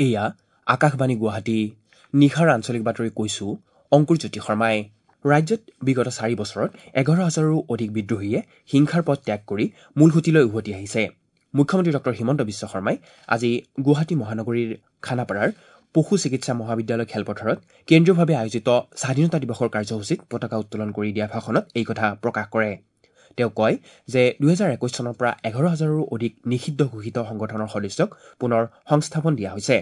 এয়া আকাশবাণী গুৱাহাটী। নিশাৰ আঞ্চলিক বাতৰি কৈছো অংকুৰ জ্যোতি শৰ্মাই। ৰাজ্যত বিগত 4 বছৰত 11,000ৰো অধিক বিদ্ৰোহীয়ে হিংসাৰ পথ ত্যাগ কৰি মূলসুঁতিলৈ উভতি আহিছে। মুখ্যমন্ত্ৰী ডঃ হিমন্ত বিশ্ব শৰ্মাই আজি গুৱাহাটী মহানগৰীৰ খানাপাৰাৰ পশু চিকিৎসা মহাবিদ্যালয় খেলপথাৰত কেন্দ্ৰীয়ভাৱে আয়োজিত স্বাধীনতা দিৱসৰ কাৰ্যসূচীত পতাকা উত্তোলন কৰি দিয়া ভাষণত এই কথা প্ৰকাশ কৰে। তেওঁ কয় যে 2021 চনৰ পৰা 11,000ৰো অধিক নিষিদ্ধ ঘোষিত সংগঠনৰ সদস্যক পুনৰ সংস্থাপন দিয়া হৈছে।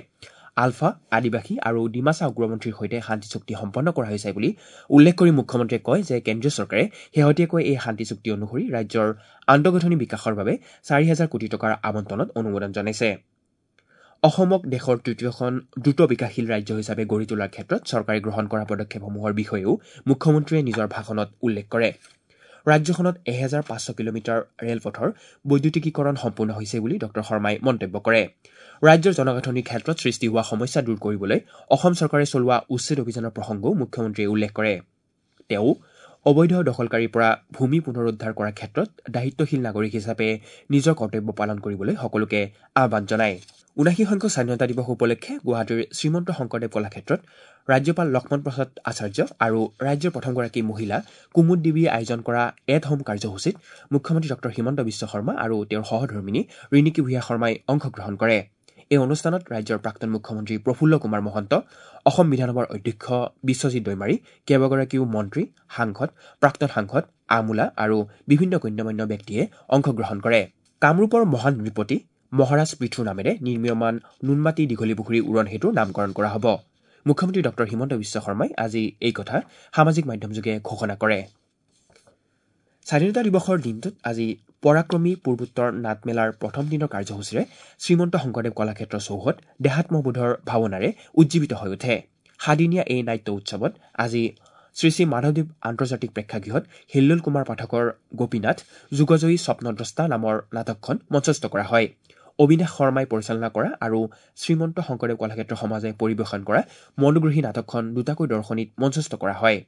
আলফা, আদিবাসী আৰু ডিমাছা উগ্ৰপন্থীৰ সৈতে শান্তি চুক্তি সম্পন্ন কৰা হৈছে বুলি উল্লেখ কৰি মুখ্যমন্ত্ৰীয়ে কয় যে কেন্দ্ৰীয় চৰকাৰে শেহতীয়াকৈ এই শান্তি চুক্তি অনুসৰি ৰাজ্যৰ আন্তঃগাঁথনি বিকাশৰ বাবে 4,000 কোটি টকাৰ আবণ্টনত অনুমোদন জনাইছে। অসমক দেশৰ তৃতীয়খন দ্ৰুত বিকাশশীল ৰাজ্য হিচাপে গঢ়ি তোলাৰ ক্ষেত্ৰত চৰকাৰে গ্ৰহণ কৰা পদক্ষেপসমূহৰ বিষয়েও মুখ্যমন্ত্ৰীয়ে নিজৰ ভাষণত উল্লেখ কৰে। ৰাজ্যখনত 1,500 কিলোমিটাৰ ৰেলপথৰ বৈদ্যুতিকীকৰণ সম্পূৰ্ণ হৈছে বুলি ডঃ শৰ্মাই মন্তব্য কৰে। ৰাজ্যৰ জনগাঁথনিৰ ক্ষেত্ৰত সৃষ্টি হোৱা সমস্যা দূৰ কৰিবলৈ অসম চৰকাৰে চলোৱা উচ্ছেদ অভিযানৰ প্ৰসংগও মুখ্যমন্ত্ৰীয়ে উল্লেখ কৰে। তেওঁ অবৈধ দখলকাৰীৰ পৰা ভূমি পুনৰুদ্ধাৰ কৰাৰ ক্ষেত্ৰত দায়িত্বশীল নাগৰিক হিচাপে নিজৰ কৰ্তব্য পালন কৰিবলৈ সকলোকে আহ্বান জনায়। 79 সংখ্যক স্বাধীনতা দিৱস উপলক্ষে গুৱাহাটীৰ শ্ৰীমন্ত শংকৰদেৱ কলাক্ষেত্ৰত ৰাজ্যপাল লক্ষ্মণ প্ৰসাদ আচাৰ্য আৰু ৰাজ্যৰ প্ৰথমগৰাকী মহিলা কুমুদ দেৱীয়ে আয়োজন কৰা এট হোম কাৰ্যসূচীত মুখ্যমন্ত্ৰী ডঃ হিমন্ত বিশ্ব শৰ্মা আৰু তেওঁৰ সহধৰ্মিনী ৰিণিকী ভূঞা শৰ্মাই অংশগ্ৰহণ কৰে। এই অনুষ্ঠানত ৰাজ্যৰ প্ৰাক্তন মুখ্যমন্ত্ৰী প্ৰফুল্ল কুমাৰ মহন্ত, অসম বিধানসভাৰ অধ্যক্ষ বিশ্বজিৎ দৈমাৰী, কেইবাগৰাকীও মন্ত্ৰী, সাংসদ, প্ৰাক্তন সাংসদ, আমোলা আৰু বিভিন্ন গণ্যমান্য ব্যক্তিয়ে অংশগ্ৰহণ কৰে। কামৰূপৰ মহান নৃপতি মহাৰাজ পৃথুৰ নামেৰে নিৰ্মীয়মান নুনমাটি দীঘলীপুখুৰী উৰণ সেতুৰ নামকৰণ কৰা হ'ব। মুখ্যমন্ত্ৰী ডঃ হিমন্ত বিশ্ব শৰ্মাই আজি এই কথা সামাজিক মাধ্যমযোগে ঘোষণা কৰে। স্বাধীনতা দিৱসৰ দিনটোত আজি পৰাক্ৰমী পূৰ্বোত্তৰ নাটমেলাৰ প্ৰথম দিনৰ কাৰ্যসূচীৰে শ্ৰীমন্ত শংকৰদেৱ কলাক্ষেত্ৰ চৌহদ দেহাত্মবোধৰ ভাৱনাৰে উজ্জীৱিত হৈ উঠে। সাদিনীয়া এই নাট্য উৎসৱত আজি শ্ৰী শ্ৰী মাধৱদেৱ আন্তৰ্জাতিক প্ৰেক্ষাগৃহত হিল্লোল কুমাৰ পাঠকৰ গোপীনাথ যুগজয়ী স্বপ্নদ্ৰষ্টা নামৰ নাটকখন মঞ্চস্থ কৰা হয়। অবিনাশ শৰ্মাই পৰিচালনা কৰা আৰু শ্ৰীমন্ত শংকৰদেৱ কলাক্ষেত্ৰ সমাজে পৰিৱেশন কৰা মনোগ্ৰাহী নাটকখন দুটাকৈ দৰ্শনীত মঞ্চস্থ কৰা হয়।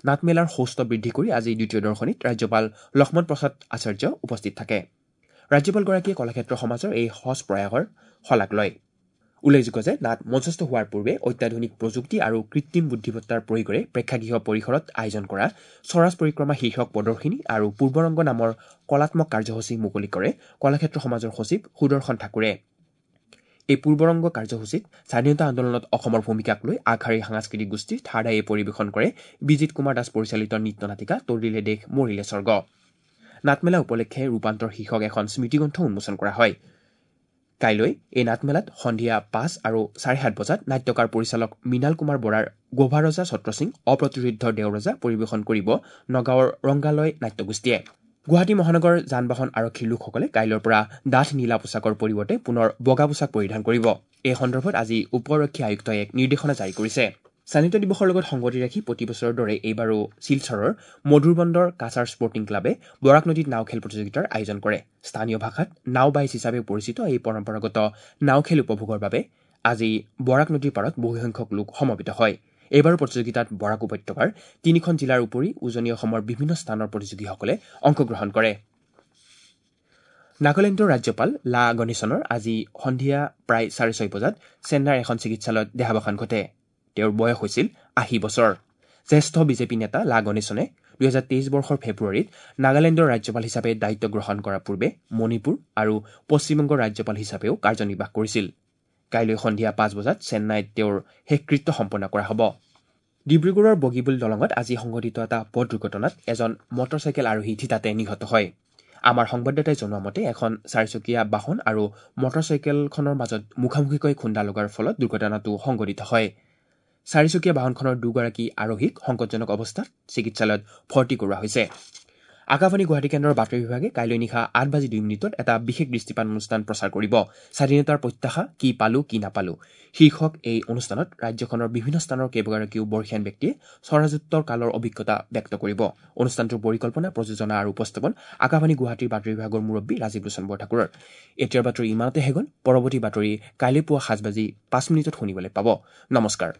নাটমেলাৰ সৌষ্ঠৱ বৃদ্ধি কৰি আজি দ্বিতীয় দৰ্শনীত ৰাজ্যপাল লক্ষ্মণ প্ৰসাদ আচাৰ্য উপস্থিত থাকে। ৰাজ্যপালগৰাকীয়ে কলাক্ষেত্ৰ সমাজৰ এই সজ প্ৰয়াসৰ শলাগ লয়। উল্লেখযোগ্য যে নাট মঞ্চস্থ হোৱাৰ পূৰ্বে অত্যাধুনিক প্ৰযুক্তি আৰু কৃত্ৰিম বুদ্ধিমত্তাৰ প্ৰয়োগেৰে প্ৰেক্ষাগৃহ পৰিসৰত আয়োজন কৰা স্বৰাজ পৰিক্ৰমা শীৰ্ষক প্ৰদৰ্শিনী আৰু পূৰ্বৰংগ নামৰ কলাত্মক কাৰ্যসূচী মুকলি কৰে কলাক্ষেত্ৰ সমাজৰ সচিব সুদৰ্শন ঠাকুৰে। এই পূৰ্বৰংগ কাৰ্যসূচীত স্বাধীনতা আন্দোলনত অসমৰ ভূমিকাক লৈ আগশাৰীৰ সাংস্কৃতিক গোষ্ঠী থাৰ্ড আইয়ে পৰিৱেশন কৰে বিজিত কুমাৰ দাস পৰিচালিত নৃত্য নাটিকা তৰিলে দেশ মৰিলে স্বৰ্গ। নাটমেলা উপলক্ষে ৰূপান্তৰ শীৰ্ষক এখন স্মৃতিগ্ৰন্থ উন্মোচন কৰা হয়। কাইলৈ এই নাটমেলাত সন্ধিয়া 5 আৰু 7:30 বজাত নাট্যকাৰ পৰিচালক মৃণাল কুমাৰ বৰাৰ গোভাৰজা ছত্ৰসিং অপ্ৰতিৰোধ্য দেওৰজা পৰিৱেশন কৰিব নগাঁৱৰ ৰংগালয় নাট্যগোষ্ঠীয়ে। গুৱাহাটী মহানগৰ যান বাহন আৰক্ষীৰ লোকসকলে কাইলৈৰ পৰা ডাঠ নীলা পোছাকৰ পৰিৱৰ্তে পুনৰ বগা পোছাক পৰিধান কৰিব। এই সন্দৰ্ভত আজি উপ আৰক্ষী আয়ুক্তই এক নিৰ্দেশনা জাৰি কৰিছে। স্বাধীনতা দিৱসৰ লগত সংগতি ৰাখি প্ৰতি বছৰৰ দৰে এইবাৰো শিলচৰৰ মধুৰবন্দৰ কাছাৰ স্পৰ্টিং ক্লাবে বৰাক নদীত নাও খেল প্ৰতিযোগিতাৰ আয়োজন কৰে। স্থানীয় ভাষাত নাও বাইচ হিচাপে পৰিচিত এই পৰম্পৰাগত নাও খেল উপভোগৰ বাবে আজি বৰাক নদীৰ পাৰত বহুসংখ্যক লোক সমবেত হয়। এইবাৰো প্ৰতিযোগিতাত বৰাক উপত্যকাৰ 3খন জিলাৰ উপৰি উজনি অসমৰ বিভিন্ন স্থানৰ প্ৰতিযোগীসকলে অংশগ্ৰহণ কৰে। নাগালেণ্ডৰ ৰাজ্যপাল লা গণেশনৰ আজি সন্ধিয়া প্ৰায় 6:30 বজাত চেন্নাইৰ এখন চিকিৎসালয়ত দেহাৱসান ঘটে। তেওঁৰ বয়স হৈছিল 80 বছৰ। জ্যেষ্ঠ বিজেপি নেতা লা গণেশনে 2023 বৰ্ষৰ ফেব্ৰুৱাৰীত নাগালেণ্ডৰ ৰাজ্যপাল হিচাপে দায়িত্ব গ্ৰহণ কৰাৰ পূৰ্বে মণিপুৰ আৰু পশ্চিমবংগৰ ৰাজ্যপাল হিচাপেও কাৰ্যনিৰ্বাহ কৰিছিল। কাইলৈ সন্ধিয়া 5 বজাত চেন্নাইত তেওঁৰ শেষকৃত্য সম্পন্ন কৰা হ'ব। ডিব্ৰুগড়ৰ বগীবিল দলঙত আজি সংঘটিত এটা পথ দুৰ্ঘটনাত এজন মটৰচাইকেল আৰোহী থিতাতে নিহত হয়। আমাৰ সংবাদদাতাই জনোৱা মতে এখন চাৰিচকীয়া বাহন আৰু মটৰচাইকেলখনৰ মাজত মুখামুখিকৈ খুন্দা লগাৰ ফলত দুৰ্ঘটনাটো সংঘটিত হয়। চাৰিচকীয়া বাহনখনৰ দুগৰাকী আৰোহীক সংকটজনক অৱস্থাত চিকিৎসালয়ত ভৰ্তি কৰোৱা হৈছে। আকাশবাণী গুৱাহাটী কেন্দ্ৰৰ বাতৰি বিভাগে কাইলৈ নিশা 8:02 এটা বিশেষ দৃষ্টিপাত অনুষ্ঠান প্ৰচাৰ কৰিব। স্বাধীনতাৰ প্ৰত্যাশা কি পালো কি নাপালো শীৰ্ষক এই অনুষ্ঠানত ৰাজ্যখনৰ বিভিন্ন স্থানৰ কেইবাগৰাকীও বৰ্ষীয়ান ব্যক্তিয়ে স্বৰাজোত্তৰ কালৰ অভিজ্ঞতা ব্যক্ত কৰিব। অনুষ্ঠানটোৰ পৰিকল্পনা, প্ৰযোজনা আৰু উপস্থাপন আকাশবাণী গুৱাহাটীৰ বাতৰি বিভাগৰ মুৰব্বী ৰাজীৱ লোচন বৰঠাকুৰৰ। এতিয়াৰ বাতৰি ইমানতে শেষ হ'ল। পৰৱৰ্তী বাতৰি কাইলৈ পুৱা 7:05 শুনিবলৈ পাব। নমস্কাৰ।